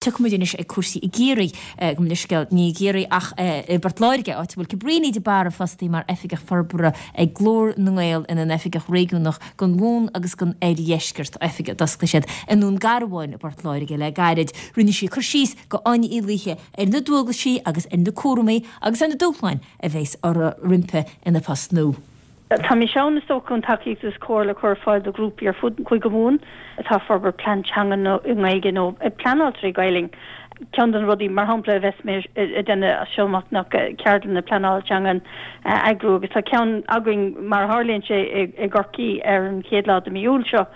Tiocfaidh muid anois ag cúrsaí i gCiarraí, gabh mo leithscéal, ní i gCiarraí ach i bPort Láirge, áit a bhfuil Cabríní de Barra fostaithe mar Oifigeach Forbartha ag Glór na nGael ina n-Oifigeach Réigiúnach don Mhumhan agus don Oirdheisceart, oifig a d'osclaigh siad i nDún Garbhán i bPort Láirge le gairid. Rinne sí cur síos do Áine Uí Laoithe ar na dualgaisí agus ar na cúramaí agus ar na dúshláin a bheas roimpi ina post nua. Tá mise ann, is dócha, chun tacaíocht agus comhairle a chur ar fáil do ghrúpaí ar fud Chúige Mumhan atá ag forbairt plean teanga i nGaeilge nó ag pleanáil trí Ghaelainn. Ceann de na rudaí, mar shampla, a bheas mé ag déanamh as seo amach ná ceardlanna pleanála teangan a eagrú agus tá ceann againn, mar a tharlaíonn sé, i gCorcaigh ar an chéad lá de mhí Iúil seo.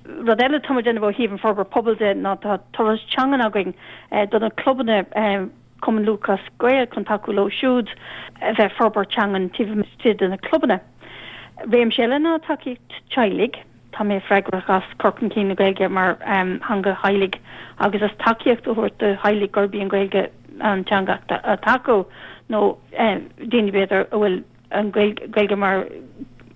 Rud eile atá muid ag déanamh ó thaobh an forbairt pobail de ná tá turas teangan againn do na clubanna, Cumann Lúthchleas Gael chun tacú leo siúd a bheith ag forbairt teangan taobh istigh de na clubanna. Réimse eile ná tacaíocht teaghlaigh. Tá mé freagrach as cur chun cinn na Gaeilge mar theanga theaghlaigh agus as tacaíocht a thabhairt do theaghlaigh gurb í an Ghaeilge an teanga atá acu nó daoine b'fhéidir a bhfuil an Ghaeilge mar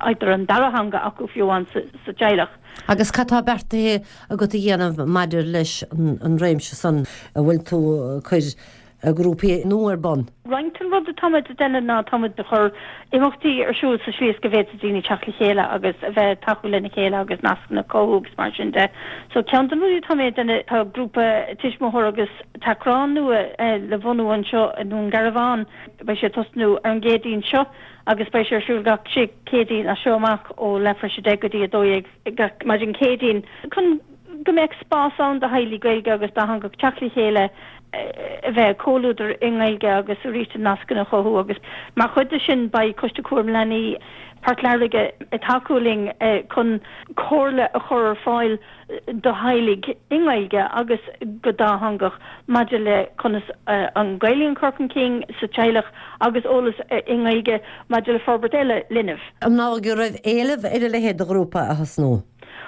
either an dara theanga acu fiú amháin sa teaghlach. Agus cad tá beartaithe agat a dhéanamh maidir leis an réimse san? An bhfuil tú ag cur grúpaí nua ar bun? Roinnt den rud atá muid ag déanamh ná tá muid ag cur imeachtaí ar siúl sa tslí is go bhféadfaidh daoine teacht le chéile agus a bheith ag tacú lena chéile agus nascanna a chothú agus mar sin de. So ceann de na rudaí atá mé ag déanamh tá grúpa tuismitheoir agus tachrán nua le bhunú anseo i nDún Garbhán. Beidh sé ag tosnú ar an gCéadaoin seo agus beidh sé ar siúl gach sé Céadaoin as seo amach ó leathuair tar éis 10 go dtí 12 gach maidin Céadaoin chun go mbeadh spás ann do theaghlaigh Gaeilge agus dátheangach teacht le chéile, a bheith ag comhluadar i nGaeilge agus arís na nascanna a chothú agus mar chuid de sin beidh Coiste Cúraim Leanaí Port Láirge ag tacú linn chun comhairle a chur ar fáil do theaghlaigh i nGaeilge agus go dátheangach maidir le conas an Ghaeilge a chur chun cinn sa teaghlach agus eolas i nGaeilge maidir le forbairt eile linbh. An ndóigh go raibh éileamh ar a leithéid de ghrúpa a thosnú?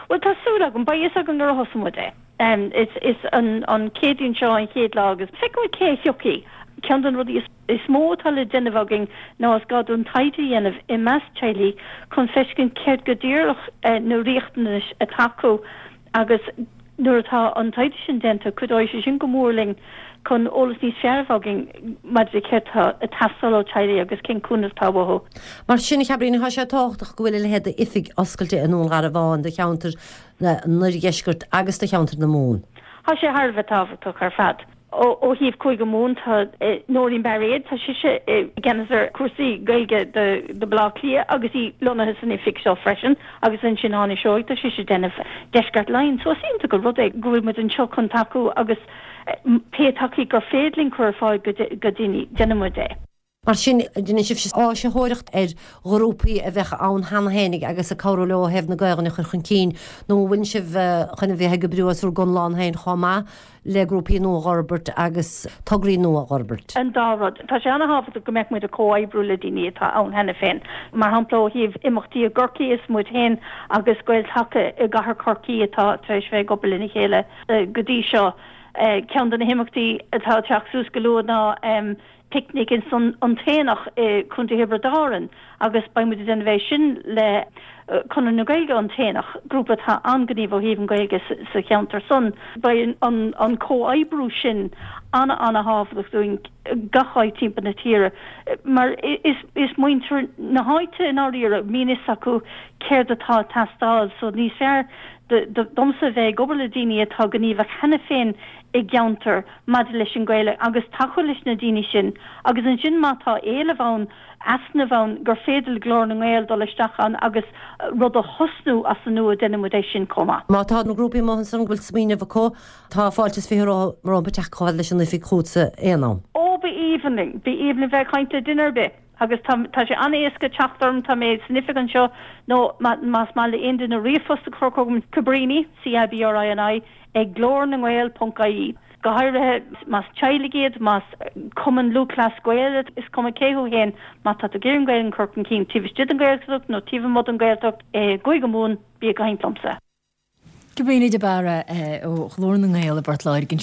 Bhuel, tá súil agam. Beidh fhios agam nuair a thosóidh muid é. Is an Chéadaoin seo an chéad lá agus feicfidh muid cé a thiocfaidh. Ceann de na rudaí is. is mó atá le déanamh againn ná is gá dúinn taighde a dhéanamh i measc teaghlaigh chun feiscint céard go díreach na riachtanais atá acu agus nuair atá an taighde sin déanta cuideoidh sé sin go mór linn chun eolas níos fearr a bheith againn maidir le céard atá ag teastáil ó teaghlaigh agus cén cúnamh atá uathu. Mar sin, a Chabríní, tá sé tábhachtach go bhfuil a leithéid d'oifig oscailte i nDún Garbhán do cheantar an Oirdheiscirt agus do cheantar na Mumhan. Tá sé thar a bheith tábhachtach ar fad. Ó thaobh Chúige Mumhan tá Nóirín Bairéad, tá sise i gceannas ar chúrsaí Gaeilge do Bhaile Átha Cliath agus í lonnaithe san oifig seo freisin agus ansin Áine Seoighe, tá sise ag déanamh Deisceart Laighean. So is iontach an rud é go bhfuil muid anseo chun tacú agus pé tacaíocht gur féidir linn cur ar fáil do dhaoine, déanann muid é. Mar sin, déanann sibhse áisitheoireacht ar ghrúpaí a bheadh ann cheana féinig agus ag cabhrú leo ó thaobh na Gaelainne a chur chun cinn, nó an bhfuileann sibh chun a bheith ag oibriú as bhur gconlán féin chomh maith le grúpaí nua a dh'fhorbairt agus tograí nua a dh'fhorbairt? An dá rud. Tá sé an-thábhachtach go mbeadh muid ag comhoibriú le daoine atá ann cheana féin. Mar shampla, ó thaobh imeachtaí i gCorcaigh, is muid féin agus Gael-Taca i gcathair Chorcaí atá tar éis bheith ag obair lena chéile go dtí seo. Ceann de na himeachtaí atá ag teacht suas go luath ná. picnic ins an tAonach i Contae Thiobraid Árann agus beidh muid ag déanamh é sin le Conradh na Gaeilge an tAonach, grúpa atá an-ghníomhach ó thaobh an Ghaeilge sa cheantar san. Beidh an comhoibriú sin ana-ana-thábhachtach dúinn gach áit timpeall na tíre mar is muintir na háite i ndáiríre, bíonn fhios acu céard atá ag teastáil so níos fearr domsa a bheith ag obair le daoine atá gníomhach cheana féin i gceantar maidir leis an Ghaeilge agus tacú leis na daoine sin agus ansin má tá éileamh ann, easnamh ann, gur féidir le Glór na nGael dul isteach ann agus rud a thosnú as an nua, déanann muid é sin chomh maith. Má tá na grúpaí amuigh ansan go bhfuil smaoineamh acu, tá fáilte is 20 rompu teacht chomh fada leis an oifig chugatsa aon am. Ó, ba aoibhinn linn, ba aoibhinn linn bheith ag caint le duine ar bith agus tá, tá sé an-éasca teacht orm, tá mé san oifig anseo nó más maith le aon duine ríomhphost a chur chugam, Cabrini, C-A-B-R-I-N-I, ag glórnangael ponc ie. Go háirithe más teaghlaigh iad, más Cumann Lúthchleas Gael iad, is cuma cé thú féin, má tá tú ag iarraidh an Ghaeilge a chur chun cinn taobh istigh den Ghaeltacht nó taobh amuigh den Ghaeltacht i gCúige Mumhan, bí ag caint liomsa. Cabríní de Barra ó Ghlór na nGael i bPort Láirge ansin.